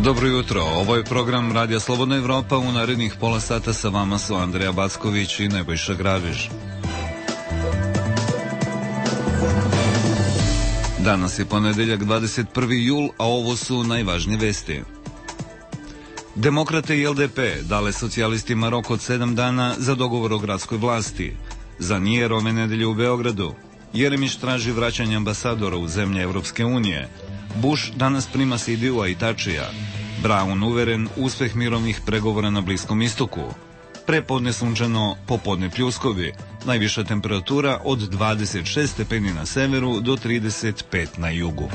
Dobro jutro, ovo je program Radija Slobodna Evropa. U narednih pola sata sa vama su Andreja Backović i Nebojša Grabiš. Danas je ponedeljak 21. jul, a ovo su najvažnije vesti. Demokrate i LDP dale socijalistima rok od 7 dana za dogovor o gradskoj vlasti. Zanijer ove nedelje u Beogradu. Jeremić traži vraćanje ambasadora u zemlje Evropske unije. Bush danas prima Sidiju i Tačija. Brown uveren uspeh mirovnih pregovora na Bliskom istoku. Prepodne sunčano, popodne pljuskovi. Najviša temperatura od 26 stepeni na severu do 35 na jugu.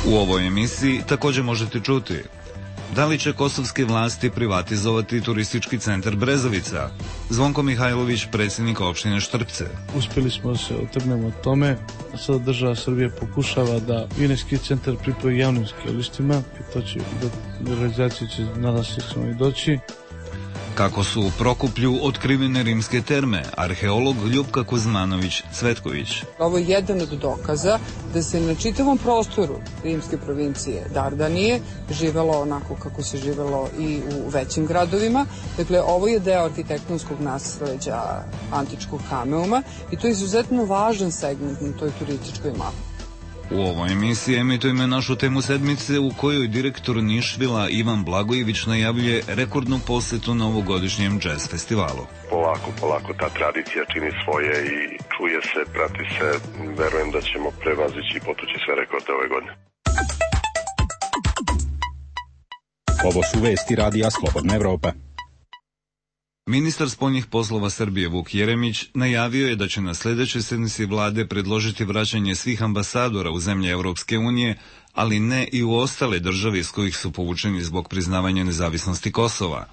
U ovoj emisiji također možete čuti: da li će kosovske vlasti privatizovati turistički centar Brezovica? Zvonko Mihajlović, predsjednik opštine Štrpce. Uspjeli smo da se otrgnemo od tome. Sada država Srbije pokušava da Vineski centar pripoji javnim skijalištima i to će do realizacije će nadam se i doći. Kako su u Prokuplju otkrivene rimske terme, arheolog Ljupka Kuzmanović-Cvetković. Ovo je jedan od dokaza da se na čitavom prostoru rimske provincije Dardanije živelo onako kako se živelo i u većim gradovima. Dakle, ovo je deo arhitektonskog nasleđa antičkog Kameuma i to je izuzetno važan segment na toj turističkoj mapi. U ovoj emisiji emitujemo našu temu sedmice u kojoj direktor Nišvila Ivan Blagojević najavljuje rekordnu posetu na ovogodišnjem jazz festivalu. Polako ta tradicija čini svoje i čuje se, prati se. Verujem da ćemo prevazići i potući sve rekorde ove godine. Ovo su vesti Radija Slobodna Evropa. Ministar spoljnih poslova Srbije Vuk Jeremić najavio je da će na sljedećoj sednici vlade predložiti vraćanje svih ambasadora u zemlje Evropske unije, ali ne i u ostale države iz kojih su povučeni zbog priznavanja nezavisnosti Kosova.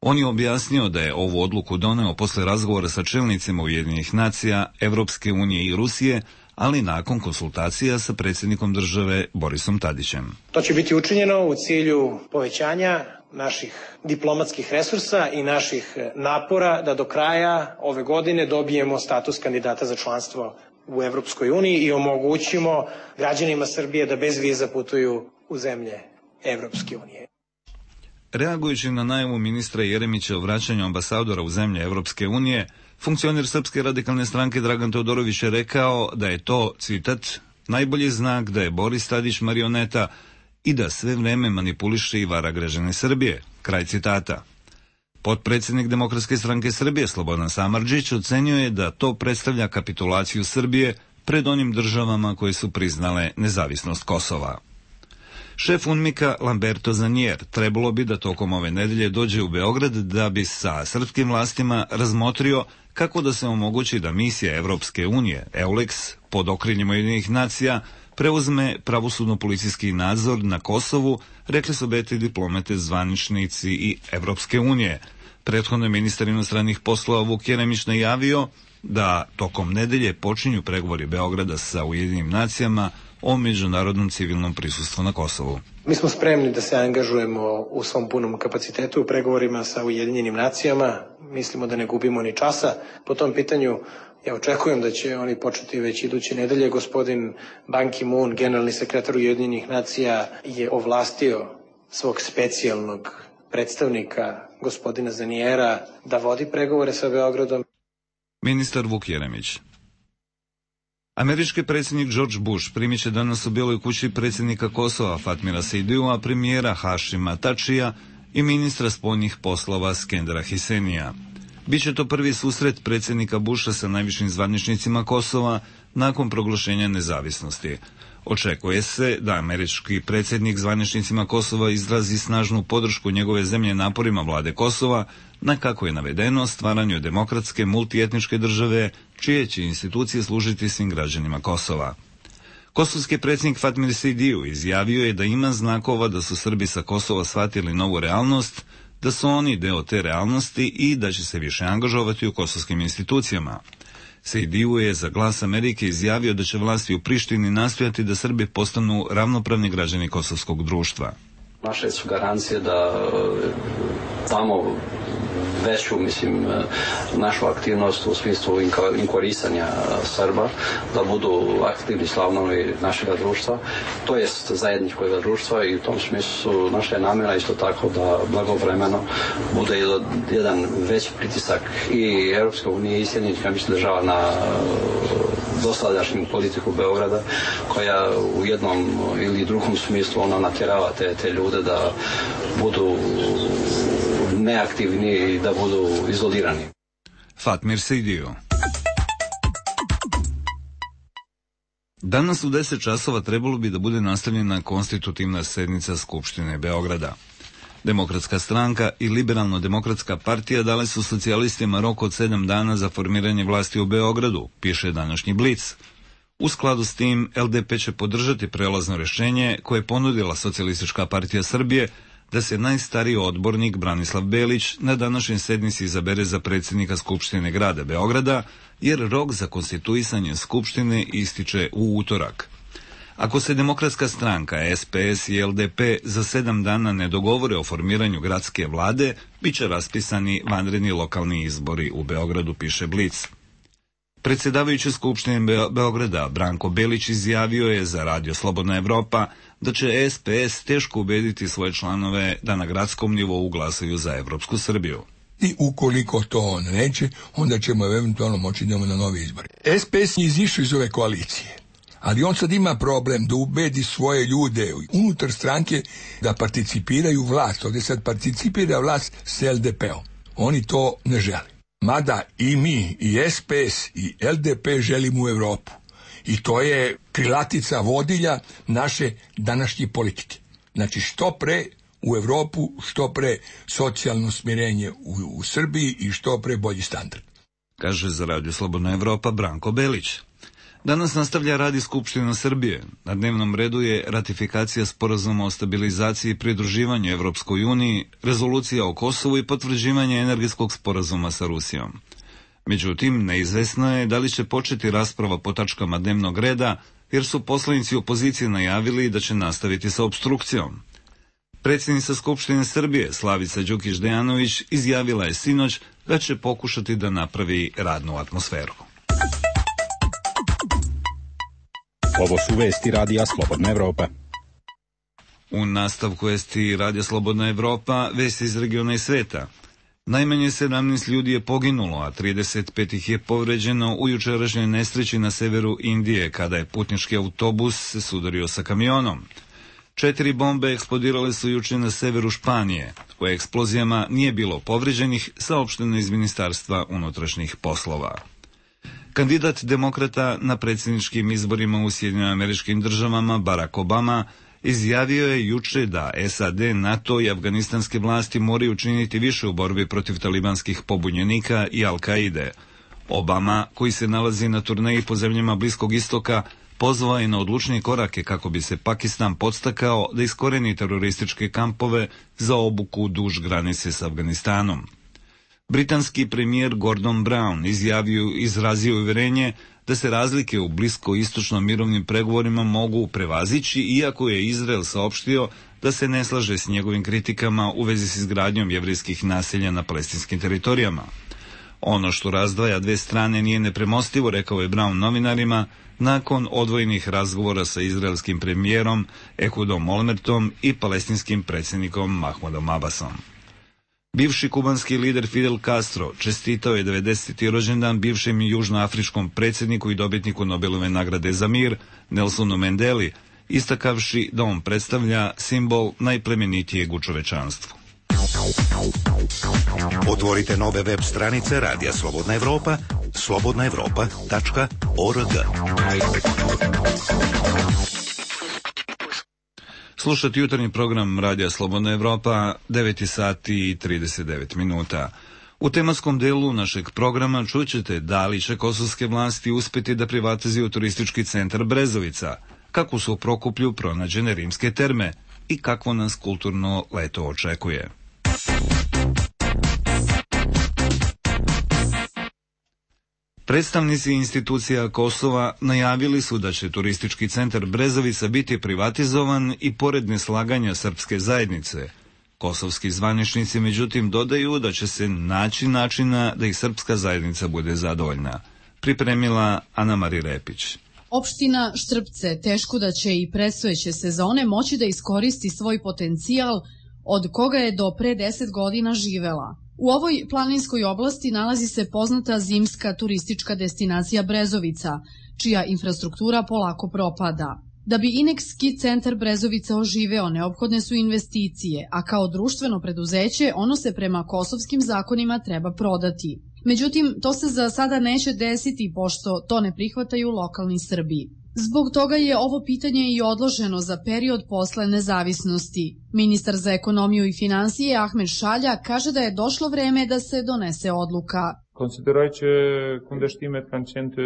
On je objasnio da je ovu odluku doneo posle razgovora sa čelnicima Ujedinjenih nacija, Evropske unije i Rusije, ali nakon konsultacija sa predsjednikom države Borisom Tadićem. To će biti učinjeno u cilju povećanja naših diplomatskih resursa i naših napora da do kraja ove godine dobijemo status kandidata za članstvo u Evropskoj uniji i omogućimo građanima Srbije da bez viza putuju u zemlje Evropske unije. Reagujući na najavu ministra Jeremića o vraćanju ambasadora u zemlje Evropske unije, funkcioner Srpske radikalne stranke Dragan Teodorović je rekao da je to, citat, najbolji znak da je Boris Tadić marioneta i da sve vreme manipuliše i vara građane Srbije. Kraj citata. Potpredsjednik Demokratske stranke Srbije Slobodan Samardžić ocenio je da to predstavlja kapitulaciju Srbije pred onim državama koje su priznale nezavisnost Kosova. Šef UNMIK-a Lamberto Zanijer trebalo bi da tokom ove nedelje dođe u Beograd da bi sa srpskim vlastima razmotrio kako da se omogući da misija Evropske unije, EULEX, pod okriljem Ujedinjenih nacija, preuzme pravosudno-policijski nadzor na Kosovu, rekli su beti diplomate, zvaničnici i Evropske unije. Prethodno je ministar inostranih poslova Vuk Jeremić najavio da tokom nedelje počinju pregovori Beograda sa Ujedinjenim nacijama o međunarodnom civilnom prisustvu na Kosovu. Mi smo spremni da se angažujemo u svom punom kapacitetu u pregovorima sa Ujedinjenim nacijama. Mislimo da ne gubimo ni časa po tom pitanju. Ja očekujem da će oni početi već iduće nedelje. Gospodin Ban Ki-moon, generalni sekretar Ujedinjenih nacija, je ovlastio svog specijalnog predstavnika, gospodina Zanijera, da vodi pregovore sa Beogradom. Ministar Vuk Jeremić. Američki predsjednik George Bush primit će danas u Bijeloj kući predsjednika Kosova Fatmira Sidiju, premijera Hašima Tačija i ministra spoljnih poslova Skendera Hisenija. Biće to prvi susret predsjednika Busha sa najvišim zvaničnicima Kosova nakon proglašenja nezavisnosti. Očekuje se da američki predsjednik zvaničnicima Kosova izrazi snažnu podršku njegove zemlje naporima vlade Kosova na, kako je navedeno, stvaranju demokratske multietničke države čije će institucije služiti svim građanima Kosova. Kosovski predsjednik Fatmir Sidiju izjavio je da ima znakova da su Srbi sa Kosova shvatili novu realnost, da su oni deo te realnosti i da će se više angažovati u kosovskim institucijama. Sidiju je za Glas Amerike izjavio da će vlasti u Prištini nastojati da Srbi postanu ravnopravni građani kosovskog društva. Naše su garancije da tamo veću, mislim, našu aktivnost u smislu inkorisanja Srba, da budu aktivni članovi našeg društva, to jest zajedničkog društva, i u tom smislu naša je namjera isto tako da blagovremeno bude jedan veći pritisak i Europske unije i Sjedinjenih Američkih Država na dosadašnju politiku Beograda, koja u jednom ili drugom smislu ona natjerava te ljude da budu neaktivni i da budu izolirani. Fatmir Sidio. Danas u 10 časova trebalo bi da bude nastavljena konstitutivna sednica Skupštine Beograda. Demokratska stranka i Liberalno-demokratska partija dale su socijalistima rok od 7 dana za formiranje vlasti u Beogradu, piše današnji Blic. U skladu s tim, LDP će podržati prelazno rješenje koje je ponudila Socijalistička partija Srbije da se najstariji odbornik Branislav Belić na današnjoj sednici izabere za predsjednika Skupštine grada Beograda, jer rok za konstituisanje Skupštine ističe u utorak. Ako se Demokratska stranka, SPS i LDP za 7 dana ne dogovore o formiranju gradske vlade, bit će raspisani vanredni lokalni izbori u Beogradu, piše Blic. Predsjedavajući Skupštine Beograda Branko Belić izjavio je za Radio Slobodna Evropa da će SPS teško ubediti svoje članove da na gradskom nivou glasaju za Evropsku Srbiju. I ukoliko to on neće, onda ćemo eventualno moći idemo na novi izbor. SPS je izišao iz ove koalicije, ali on sad ima problem da ubedi svoje ljude unutar stranke da participiraju vlast. Ovdje sad participira vlast s LDP-om. Oni to ne žele. Mada i mi, i SPS, i LDP želimo u Evropu. I to je krilatica vodilja naše današnje politike. Znači, što pre u Evropu, što pre socijalno smirenje u Srbiji i što pre bolji standard. Kaže za Radio Slobodna Evropa Branko Belić. Danas nastavlja rad i Skupština Srbije. Na dnevnom redu je ratifikacija sporazuma o stabilizaciji i pridruživanju Evropskoj uniji, rezolucija o Kosovu i potvrđivanje energetskog sporazuma sa Rusijom. Međutim, neizvesno je da li će početi rasprava po tačkama dnevnog reda, jer su poslanici opozicije najavili da će nastaviti sa opstrukcijom. Predsjednica Skupštine Srbije, Slavica Đukić-Dejanović, izjavila je sinoć da će pokušati da napravi radnu atmosferu. Ovo su vesti Radija Slobodna Evropa. U nastavku vesti Radija Slobodna Evropa, vesti iz regiona i sveta. Najmanje 17 ljudi je poginulo, a 35 ih je povređeno u jučerašnjoj nesreći na severu Indije, kada je putnički autobus se sudario sa kamionom. 4 bombe eksplodirale su juče na severu Španije. U eksplozijama nije bilo povređenih, saopšteno iz Ministarstva unutrašnjih poslova. Kandidat demokrata na predsjedničkim izborima u Sjedinjenim Američkim Državama, Barack Obama, izjavio je juče da SAD, NATO i afganistanske vlasti moraju učiniti više u borbi protiv talibanskih pobunjenika i Al-Kaide. Obama, koji se nalazi na turneji po zemljama Bliskog istoka, pozvao je na odlučnije korake kako bi se Pakistan podstakao da iskoreni terorističke kampove za obuku duž granice s Afganistanom. Britanski premijer Gordon Brown izrazio uvjerenje da se razlike u bliskoistočnom mirovnim pregovorima mogu prevazići, iako je Izrael saopštio da se ne slaže s njegovim kritikama u vezi s izgradnjom jevrijskih naselja na palestinskim teritorijama. Ono što razdvaja dve strane nije nepremostivo, rekao je Brown novinarima, nakon odvojenih razgovora sa izraelskim premijerom Ehudom Olmertom i palestinskim predsjednikom Mahmudom Abbasom. Bivši kubanski lider Fidel Castro čestitao je 90. rođendan bivšem južnoafričkom predsjedniku i dobitniku Nobelove nagrade za mir, Nelsonu Mandeli, istakavši da on predstavlja simbol najplemenitijeg u čovečanstvu. Otvorite nove web stranice Radija Slobodna Evropa, slobodnaevropa.org. Slušati jutarnji program Radija Slobodna Evropa, 9 sati i 39 minuta. U tematskom delu našeg programa čućete da li će kosovske vlasti uspjeti da privatizuju turistički centar Brezovica, kako su u Prokuplju pronađene rimske terme i kakvo nas kulturno leto očekuje. Predstavnici institucija Kosova najavili su da će turistički centar Brezovica biti privatizovan i pored neslaganja srpske zajednice. Kosovski zvaničnici međutim dodaju da će se naći načina da i srpska zajednica bude zadovoljna. Pripremila Ana Mari Repić. Opština Štrpce teško da će i predstojeće sezone moći da iskoristi svoj potencijal od koga je do pre 10 godina živela. U ovoj planinskoj oblasti nalazi se poznata zimska turistička destinacija Brezovica, čija infrastruktura polako propada. Da bi Inex ski centar Brezovica oživeo, neophodne su investicije, a kao društveno preduzeće ono se prema kosovskim zakonima treba prodati. Međutim, to se za sada neće desiti, pošto to ne prihvataju lokalni Srbi. Zbog toga je ovo pitanje i odloženo za period posle nezavisnosti. Ministar za ekonomiju i finansije Ahmed Šalja kaže da je došlo vreme da se donese odluka. Consideroj që kundërshtimet kanë qenë të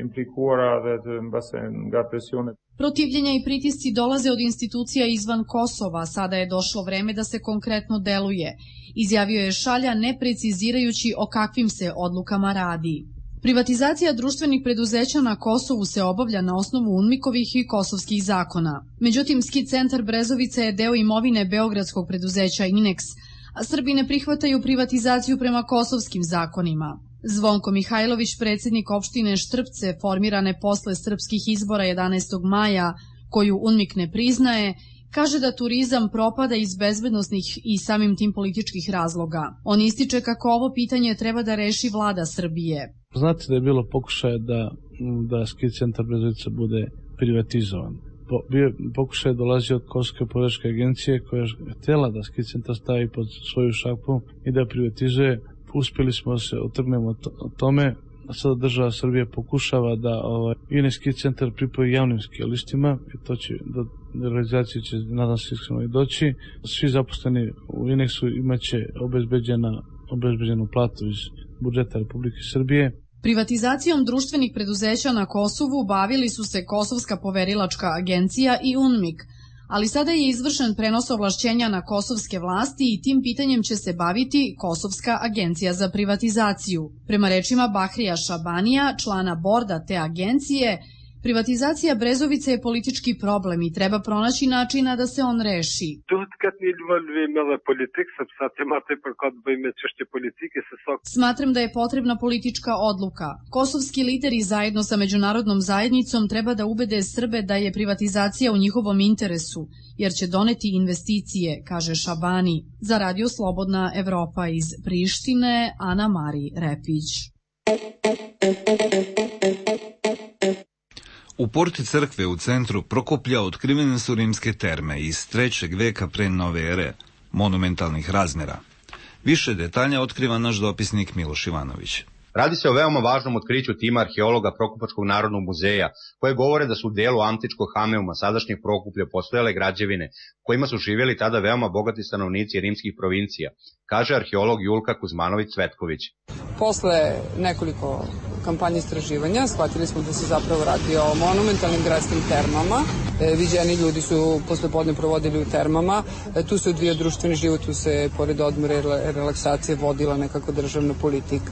implikuara dhe të mbase nga presione. Protivljenja i pritisci dolaze od institucija izvan Kosova, sada je došlo vreme da se konkretno deluje, izjavio je Šalja ne precizirajući o kakvim se odlukama radi. Privatizacija društvenih preduzeća na Kosovu se obavlja na osnovu UNMIK-ovih i kosovskih zakona. Međutim, ski centar Brezovica je deo imovine beogradskog preduzeća Inex, a Srbi ne prihvataju privatizaciju prema kosovskim zakonima. Zvonko Mihajlović, predsjednik opštine Štrpce, formirane posle srpskih izbora 11. maja, koju UNMIK ne priznaje, kaže da turizam propada iz bezbednosnih i samim tim političkih razloga. On ističe kako ovo pitanje treba da reši vlada Srbije. Znate da je bilo pokušaja da ski centar Brezovica bude privatizovan. Pokušaj dolazi od Kosovske političke agencije koja je htjela da ski centar stavi pod svoju šapu i da privatizuje. Uspjeli smo da se otrgnemo o tome, a sada država Srbije pokušava da Inex ski centar pripoji javnim skijalištima i to će do realizacije će, nadam se, iskreno i doći. Svi zaposleni u Inexu imaće obezbeđenu platu iz budžeta Republike Srbije. Privatizacijom društvenih preduzeća na Kosovu bavili su se Kosovska poverilačka agencija i UNMIK, ali sada je izvršen prenos ovlašćenja na kosovske vlasti i tim pitanjem će se baviti Kosovska agencija za privatizaciju. Prema rečima Bahrija Šabanija, člana borda te agencije, privatizacija Brezovice je politički problem i treba pronaći načina da se on reši. Smatram da je potrebna politička odluka. Kosovski lideri zajedno sa međunarodnom zajednicom treba da ubede Srbe da je privatizacija u njihovom interesu, jer će doneti investicije, kaže Šabani. Za Radio Slobodna Evropa iz Prištine, Ana Mari Repić. U porti crkve u centru Prokuplja otkrivene su rimske terme iz 3. veka pre nove ere, monumentalnih razmjera. Više detalja otkriva naš dopisnik Miloš Ivanović. Radi se o veoma važnom otkriću tima arheologa Prokupačkog narodnog muzeja, koje govore da su u delu antičkog Hameuma, sadašnjeg Prokuplja, postojale građevine, kojima su živjeli tada veoma bogati stanovnici rimskih provincija, kaže arheolog Julka Kuzmanović-Cvetković. Posle nekoliko kampanje istraživanja shvatili smo da se zapravo radi o monumentalnim gradskim termama. Viđeni ljudi su poslepodne provodili u termama. Tu se odvija društveni život, tu se pored odmora i relaksacije vodila nekako državna politika.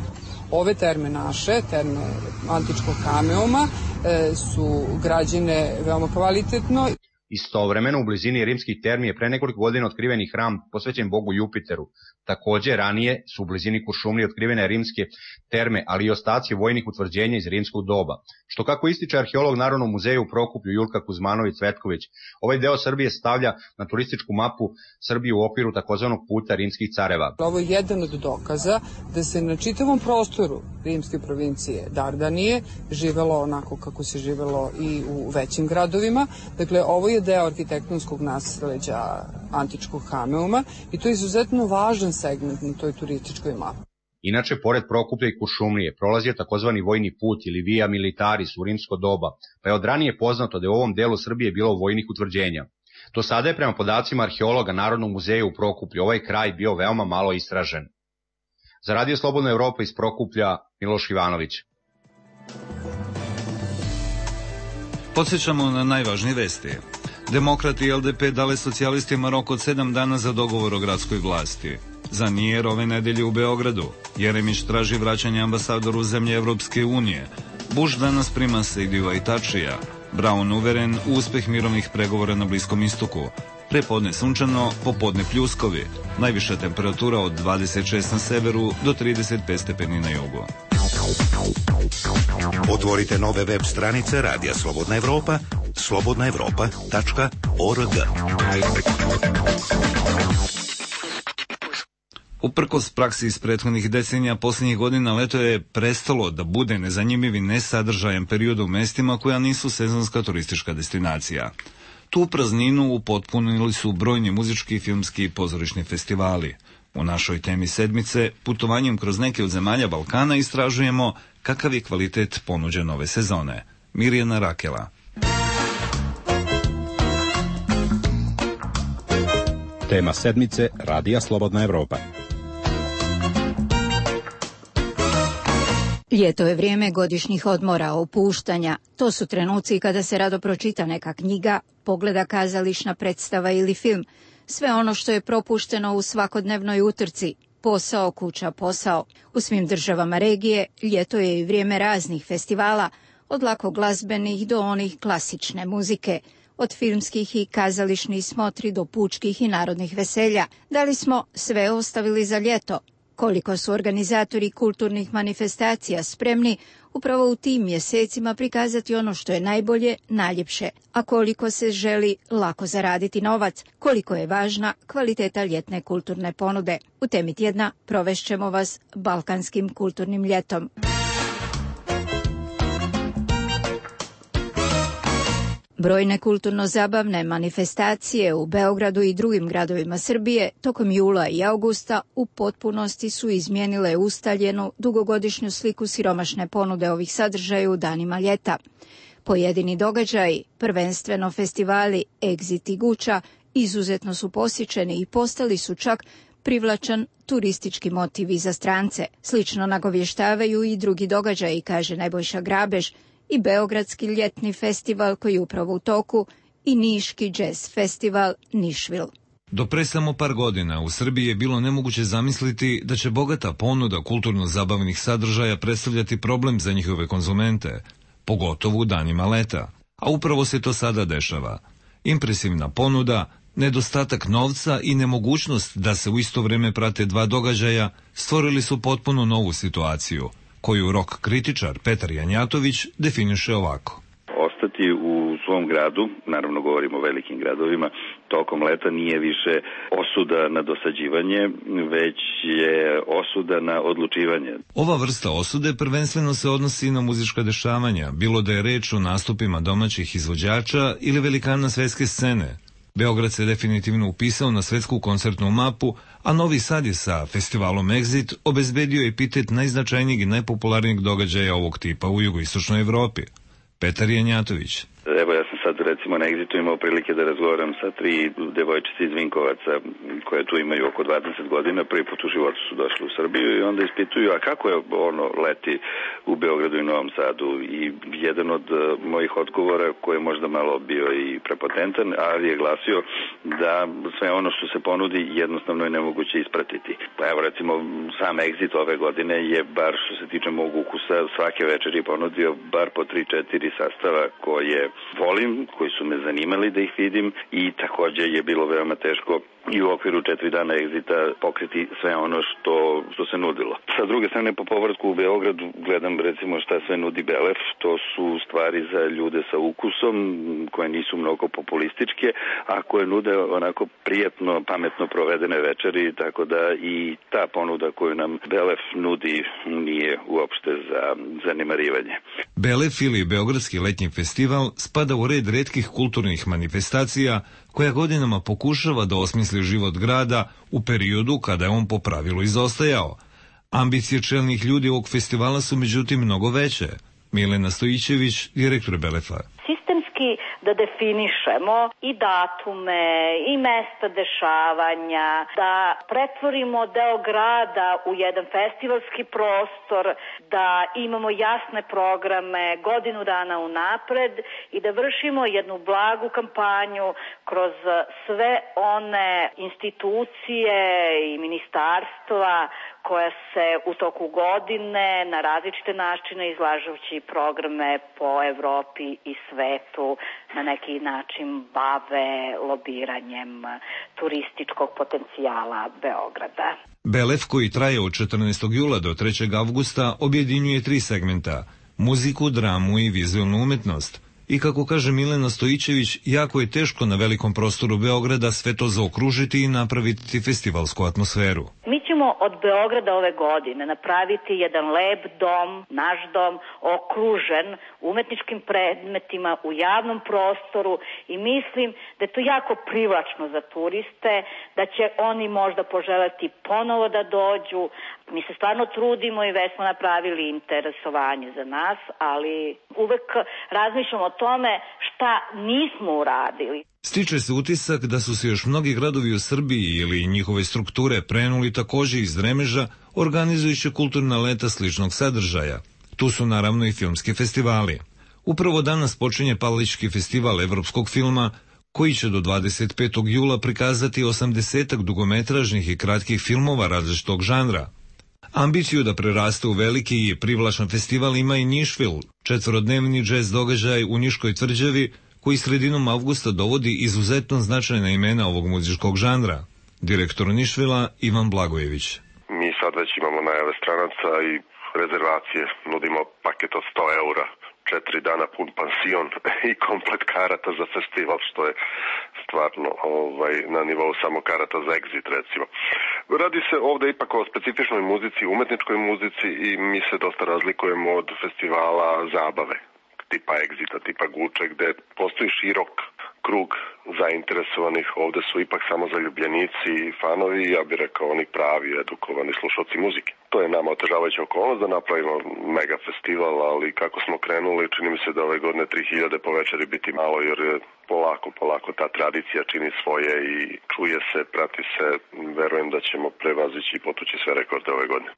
Ove terme naše, terme antičkog Hameuma, su građene veoma kvalitetno. Istovremeno u blizini rimskih termi je pre nekoliko godina otkriven i hram posvećen bogu Jupiteru. Takođe, ranije su u blizini Kuršumlije otkrivene rimske terme, ali i ostaci vojnih utvrđenja iz rimskog doba. Što kako ističe arheolog Narodnog muzeja u Prokuplju Julka Kuzmanović-Cvetković, ovaj deo Srbije stavlja na turističku mapu Srbije u okviru takozvanog puta rimskih careva. Ovo je jedan od dokaza da se na čitavom prostoru rimske provincije Dardanije živelo onako kako se živelo i u većim gradovima. Dakle, ovo je deo arhitektonskog nasleđa antičkog Hameuma i to je izuzetno važan segment na toj turističkoj mapi. Inače, pored Prokuplja i Kuršumlije prolazio takozvani vojni put ili Via Militaris u rimsko doba, pa je od ranije poznato da je u ovom delu Srbije bilo vojnih utvrđenja. Do sada je prema podacima arheologa Narodnog muzeja u Prokuplju ovaj kraj bio veoma malo istražen. Za Radio Slobodna Evropa iz Prokuplja, Miloš Ivanović. Podsjećamo na najvažnije vesti. Demokrati i LDP dale socijalistima rok od 7 dana za dogovor o gradskoj vlasti. Za Nijer ove nedelje u Beogradu. Jeremić traži vraćanje ambasadoru zemlje Evropske unije. Bush danas prima Sejdiju i Tačija. Brown uveren u uspeh mirovnih pregovora na Bliskom istoku. prepodne sunčano, popodne pljuskovi. Najviša temperatura od 26 na severu do 35 stepeni na jugu. Otvorite nove web stranice Radija Slobodna Evropa, slobodnaevropa.org. Uprkos praksi iz prethodnih decenija, posljednjih godina leto je prestalo da bude nezanimljiv i nesadržajan period u mestima koja nisu sezonska turistička destinacija. Tu prazninu upotpunili su brojni muzički, filmski i pozorišni festivali. U našoj temi sedmice, putovanjem kroz neke od zemalja Balkana, istražujemo kakav je kvalitet ponuđen ove sezone. Mirjana Rakela. Tema sedmice Radija Slobodna Evropa. Ljeto je vrijeme godišnjih odmora, opuštanja. To su trenuci kada se rado pročita neka knjiga, pogleda kazališna predstava ili film. Sve ono što je propušteno u svakodnevnoj utrci. Posao, kuća, posao. U svim državama regije ljeto je i vrijeme raznih festivala, od lako glazbenih do onih klasične muzike. Od filmskih i kazališnih smotri do pučkih i narodnih veselja. Da li smo sve ostavili za ljeto? Koliko su organizatori kulturnih manifestacija spremni upravo u tim mjesecima prikazati ono što je najbolje, najljepše, a koliko se želi lako zaraditi novac, koliko je važna kvaliteta ljetne kulturne ponude. U temi tjedna provešćemo vas balkanskim kulturnim ljetom. Brojne kulturno-zabavne manifestacije u Beogradu i drugim gradovima Srbije tokom jula i augusta u potpunosti su izmijenile ustaljenu dugogodišnju sliku siromašne ponude ovih sadržaja u danima ljeta. Pojedini događaji, prvenstveno festivali Exit i Guča, izuzetno su posjećeni i postali su čak privlačan turistički motiv i za strance. Slično nagovještavaju i drugi događaji, kaže Nebojša Grabež, i Beogradski ljetni festival koji je upravo u toku i Niški jazz festival Nišvil. Do pre samo par godina u Srbiji je bilo nemoguće zamisliti da će bogata ponuda kulturno-zabavnih sadržaja predstavljati problem za njihove konzumente, pogotovo u danima leta. A upravo se to sada dešava. Impresivna ponuda, nedostatak novca i nemogućnost da se u isto vrijeme prate dva događaja stvorili su potpuno novu situaciju, koju rock kritičar Petar Janjatović definiše ovako. Ostati u svom gradu, naravno govorimo o velikim gradovima, tokom leta nije više osuda na dosađivanje, već je osuda na odlučivanje. Ova vrsta osude prvenstveno se odnosi na muzička dešavanja, bilo da je reč o nastupima domaćih izvođača ili velikana svetske scene. Beograd se definitivno upisao na svetsku koncertnu mapu, a Novi Sad je sa festivalom Exit obezbedio epitet najznačajnijeg i najpopularnijeg događaja ovog tipa u jugoistočnoj Evropi. Petar Janjatović. Evo, ja sam sad recimo na Exitu imao prilike da razgovaram sa 3 devojčice iz Vinkovaca koje tu imaju oko 20 godina, prvi put u životu su došli u Srbiju i onda ispituju, a kako je ono leti u Beogradu i Novom Sadu, i jedan od mojih odgovora koji je možda malo bio i prepotentan, ali je glasio da sve ono što se ponudi jednostavno je nemoguće ispratiti. Pa evo recimo sam Exit ove godine je, bar što se tiče mog ukusa, svake večeri ponudio bar po 3-4 sastava koje volim, koji su me zanimali da ih vidim, i takođe je bilo veoma teško i u okviru 4 dana Exita pokriti sve ono što se nudilo. Sa druge strane, po povratku u Beogradu gledam recimo šta sve nudi Belef. To su stvari za ljude sa ukusom koje nisu mnogo populističke, a koje nude onako prijatno, pametno provedene večeri, tako da i ta ponuda koju nam Belef nudi nije uopšte za zanemarivanje. Belef ili Beogradski letnji festival spada u red retkih kulturnih manifestacija koja godinama pokušava da osmisli život grada u periodu kada je on po pravilu izostajao. Ambicije čelnih ljudi ovog festivala su međutim mnogo veće. Milena Stojićević, direktor Belefa. Sistemski da definišemo i datume i mesta dešavanja, da pretvorimo deo grada u jedan festivalski prostor, da imamo jasne programe godinu dana unapred i da vršimo jednu blagu kampanju kroz sve one institucije i ministarstva koja se u toku godine na različite načine izlažući programe po Evropi i svetu na neki način bave lobiranjem turističkog potencijala Beograda. Belef, koji traje od 14. jula do 3. avgusta, objedinjuje 3 segmenta: muziku, dramu i vizualnu umetnost. I kako kaže Milena Stojićević, jako je teško na velikom prostoru Beograda sve to zaokružiti i napraviti festivalsku atmosferu. Mi ćemo od Beograda ove godine napraviti jedan lep dom, naš dom, okružen umetničkim predmetima u javnom prostoru i mislim da je to jako privlačno za turiste, da će oni možda poželeti ponovo da dođu. Mi se stvarno trudimo i već smo napravili interesovanje za nas, ali uvek razmišljamo o tome šta nismo uradili. Stiče se utisak da su se još mnogi gradovi u Srbiji ili njihove strukture prenuli takođe iz Dremeža, organizujući kulturna leta sličnog sadržaja. Tu su naravno i filmski festivali. Upravo danas počinje Palički festival evropskog filma, koji će do 25. jula prikazati 80 dugometražnih i kratkih filmova različitog žanra. Ambiciju da preraste u veliki i privlačan festival ima i Nišvil, 4-dnevni džez događaj u Niškoj tvrđavi, koji sredinom avgusta dovodi izuzetno značajna imena ovog muzičkog žanra. Direktor Nišvila Ivan Blagojević. Mi sad već imamo najave stranaca i rezervacije. Nudimo paket od 100 eura, 4 dana pun pansion i komplet karata za festival, što je stvarno na nivou samo karata za Exit, recimo. Radi se ovde ipak o specifičnoj muzici, umetničkoj muzici i mi se dosta razlikujemo od festivala zabave, tipa Exita, tipa Guče, gde postoji širok krug zainteresovanih. Ovde su ipak samo zaljubljenici i fanovi, ja bih rekao oni pravi, edukovani slušalci muzike. To je nama otežavajuća okolnost da napravimo mega festival, ali kako smo krenuli, čini mi se da ove godine 3000 po večeri biti malo, jer polako ta tradicija čini svoje i čuje se, prati se. Verujem da ćemo prevazići i potući sve rekorde ove godine.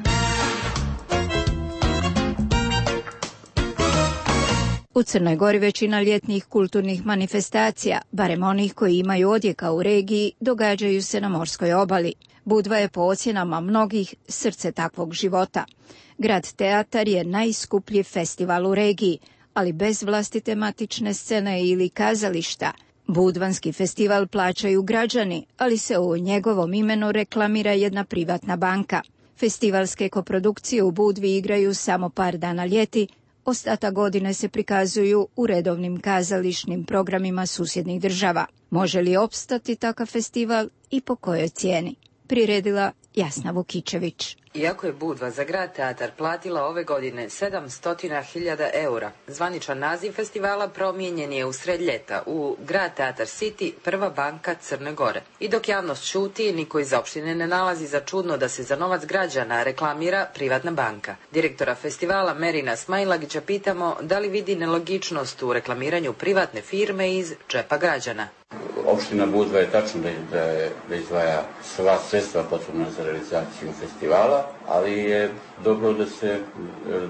U Crnoj Gori većina ljetnih kulturnih manifestacija, barem onih koji imaju odjeka u regiji, događaju se na morskoj obali. Budva je po ocjenama mnogih srce takvog života. Grad Teatar je najskuplji festival u regiji, ali bez vlastite matične scene ili kazališta. Budvanski festival plaćaju građani, ali se u njegovom imenu reklamira jedna privatna banka. Festivalske koprodukcije u Budvi igraju samo par dana ljeti, ostatak godine se prikazuju u redovnim kazališnim programima susjednih država. Može li opstati takav festival i po kojoj cijeni? Priredila Jasna Vukičević. Iako je Budva za Grad Teatar platila ove godine 700.000 eura, zvaničan naziv festivala promijenjen je usred ljeta u Grad Teatar City, prva banka Crne Gore. I dok javnost šuti, niko iz opštine ne nalazi za čudno da se za novac građana reklamira privatna banka. Direktora festivala Merina Smajlagića pitamo da li vidi nelogičnost u reklamiranju privatne firme iz džepa građana. Opština Budva je tačno da izdvaja sva sredstva potrebna za realizaciju festivala, ali je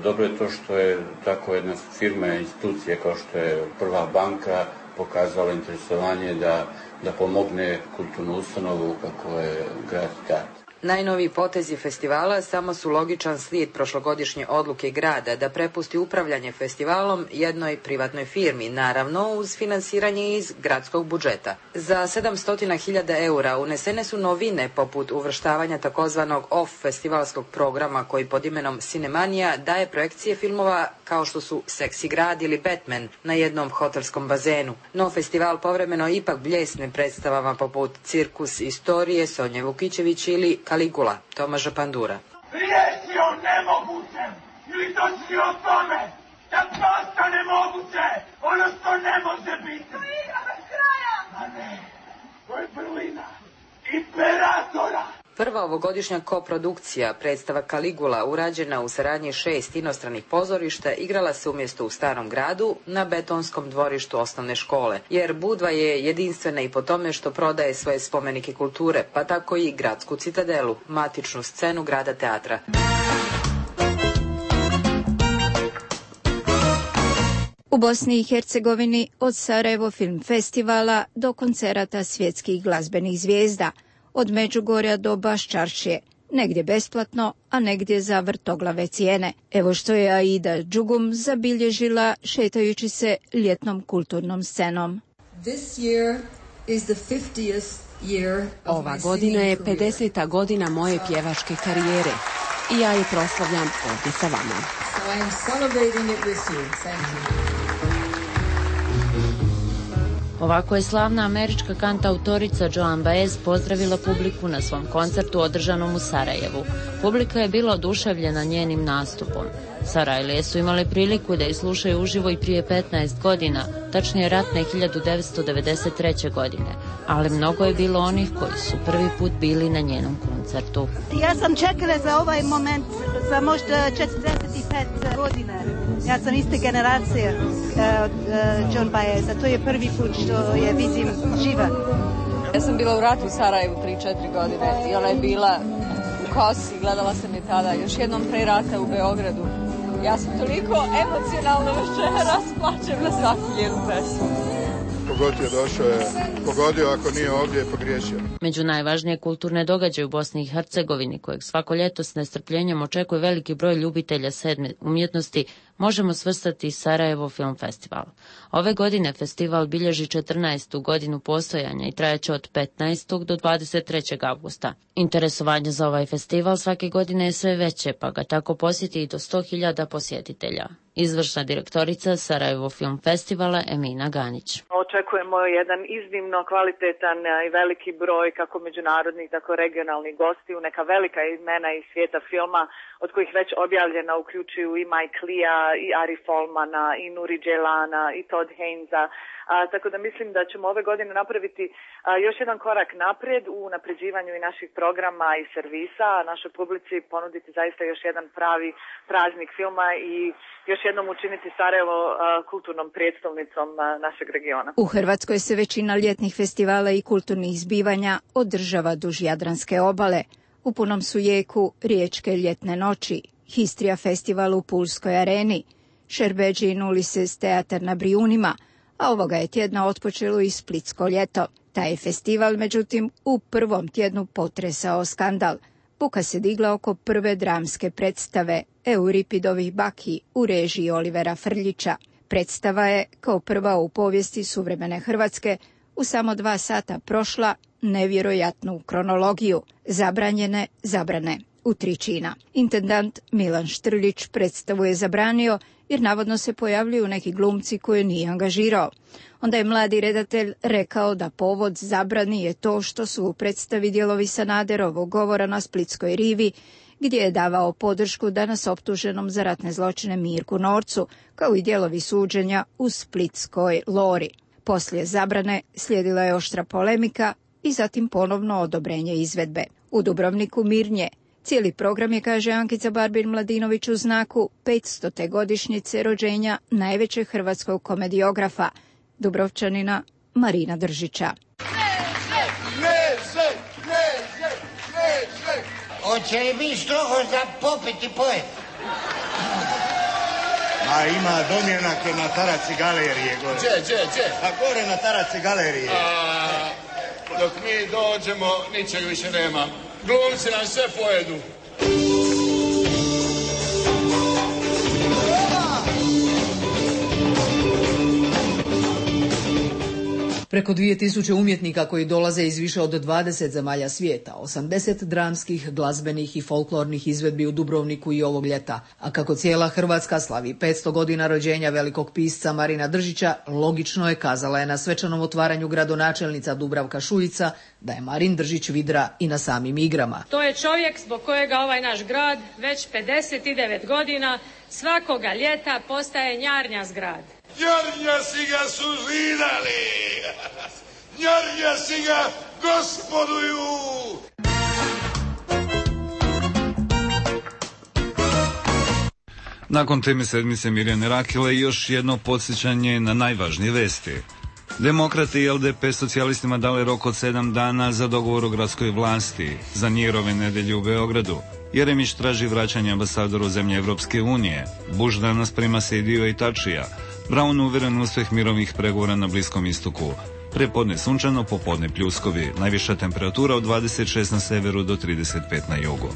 dobro je to što je tako jedna firma, institucija kao što je prva banka pokazala interesovanje da pomogne kulturnu ustanovu kako je Grad Teatar. Najnoviji potezi festivala samo su logičan slijed prošlogodišnje odluke grada da prepusti upravljanje festivalom jednoj privatnoj firmi, naravno uz finansiranje iz gradskog budžeta. Za 700.000 eura unesene su novine poput uvrštavanja takozvanog off festivalskog programa koji pod imenom Cinemanija daje projekcije filmova kao što su Seksi grad ili Batman na jednom hotelskom bazenu. No festival povremeno ipak bljesne predstavama poput Cirkus istorije Sonje Vukićević ili Kaligula, Tomaža Pandura. Riječi o nemogućem ili točni o tome da postane moguće ono što ne može biti. To je igra bez kraja. A ne, to je vrlina imperatora. Prva ovogodišnja koprodukcija, predstava Kaligula, urađena u saradnji 6 inostranih pozorišta, igrala se umjesto u Starom gradu na betonskom dvorištu osnovne škole, jer Budva je jedinstvena i po tome što prodaje svoje spomenike kulture, pa tako i gradsku citadelu, matičnu scenu Grada Teatra. U Bosni i Hercegovini od Sarajevo film festivala do koncerata svjetskih glazbenih zvijezda, od Međugorja do Baščaršije, negdje besplatno, a negdje za vrtoglave cijene. Evo što je Aida Džugum zabilježila šetajući se ljetnom kulturnom scenom. Ova godina je 50. godina moje pjevačke karijere i ja je proslavljam ovdje sa vama. Ovako je slavna američka kantautorica Joan Baez pozdravila publiku na svom koncertu održanom u Sarajevu. Publika je bila oduševljena njenim nastupom. Sarajlije su imale priliku da je slušaju uživo i prije 15 godina, tačnije ratne 1993. godine, ali mnogo je bilo onih koji su prvi put bili na njenom koncertu. Ja sam čekala za ovaj moment za možda 45 godina. Ja sam iste generacije od Joan Baeza. To je prvi put što je vidim živa. Ja sam bila u ratu u Sarajevu 3-4 godine i ona je bila u kosi, gledala sam je tada još jednom pre rata u Beogradu. Ja sam toliko emocionalno večeras, plačem na svaku njenu pesmu. Kogod je došao je pogodio, ako nije ovdje je pogriješio. Među najvažnije kulturne događaje u Bosni i Hercegovini, kojeg svako ljeto s nestrpljenjem očekuje veliki broj ljubitelja sedme umjetnosti, možemo svrstati Sarajevo Film Festival. Ove godine festival bilježi 14. godinu postojanja i trajeće od 15. do 23. avgusta. Interesovanje za ovaj festival svake godine je sve veće, pa ga tako posjeti i do 100.000 posjetitelja. Izvršna direktorica Sarajevo Film Festivala Emina Ganić. Očekujemo jedan iznimno kvalitetan i veliki broj kako međunarodnih, tako regionalnih gostiju, neka velika imena iz svijeta filma, od kojih već objavljena uključuju i Mike Lia, i Ari Folmana, i Nuri Dželana, i Todd Hainesa. Tako da mislim da ćemo ove godine napraviti još jedan korak naprijed u unapređivanju i naših programa i servisa, a našoj publici ponuditi zaista još jedan pravi praznik filma i još jednom učiniti Sarajevo kulturnom prijestolnicom našeg regiona. U Hrvatskoj se većina ljetnih festivala i kulturnih zbivanja održava duž Jadranske obale. U punom su jeku Riječke ljetne noći, Histrija festival u Pulskoj areni, Šerbedžin Ulises teatar na Brijunima, a ovoga je tjedna otpočelo i Splitsko ljeto. Taj je festival, međutim, u prvom tjednu potresao skandal. Buka se digla oko prve dramske predstave Euripidovih baki u režiji Olivera Frljića. Predstava je, kao prva u povijesti suvremene Hrvatske, u samo 2 sata prošla nevjerojatnu kronologiju, zabranjene zabrane u 3 čina. Intendant Milan Štrljić predstavu je zabranio jer navodno se pojavljuju neki glumci koje nije angažirao. Onda je mladi redatelj rekao da povod zabrani je to što su u predstavi dijelovi Sanaderovog govora na Splitskoj rivi, gdje je davao podršku danas optuženom za ratne zločine Mirku Norcu, kao i dijelovi suđenja u Splitskoj Lori. Poslije zabrane slijedila je oštra polemika i zatim ponovno odobrenje izvedbe. U Dubrovniku mirnje. Cijeli program je, kaže Ankica Barbin-Mladinović, u znaku 500. godišnjice rođenja najvećeg hrvatskog komediografa, Dubrovčanina Marina Držića. Hoće li biti strogo za popiti poet? A ima domjenake na taraci galerije gore. Gdje? A gore na taraci galerije. Dok mi dođemo, ničeg više nema. Glumci nam sve pojedu. Preko 2000 umjetnika koji dolaze iz više od 20 zemalja svijeta, 80 dramskih, glazbenih i folklornih izvedbi u Dubrovniku i ovog ljeta. A kako cijela Hrvatska slavi 500 godina rođenja velikog pisca Marina Držića, logično je, kazala je na svečanom otvaranju gradonačelnica Dubravka Šuica, da je Marin Držić vidra i na samim igrama. To je čovjek zbog kojega ovaj naš grad već 59 godina svakoga ljeta postaje njarnjas grad. Njarnja si ga su zidali, njarnja si ga gospoduju. Nakon teme sedmice Mirjane Rakile još jedno podsjećanje na najvažnije vesti. Demokrati i LDP socijalistima dali rok od 7 dana za dogovor o gradskoj vlasti za Njerove nedelje u Beogradu. Jeremić traži vraćanje ambasadora u zemlje Evropske unije. Bush danas prima Sejdiju i Tačija. Brown uveren uspjeh mirovnih pregovora na Bliskom istoku. Prepodne sunčano, popodne pljuskovi. Najviša temperatura od 26 na severu do 35 na jugu.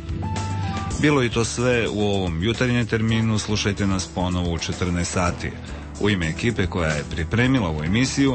Bilo i to sve u ovom jutarnjem terminu. Slušajte nas ponovo u 14 sati. U ime ekipe koja je pripremila ovu emisiju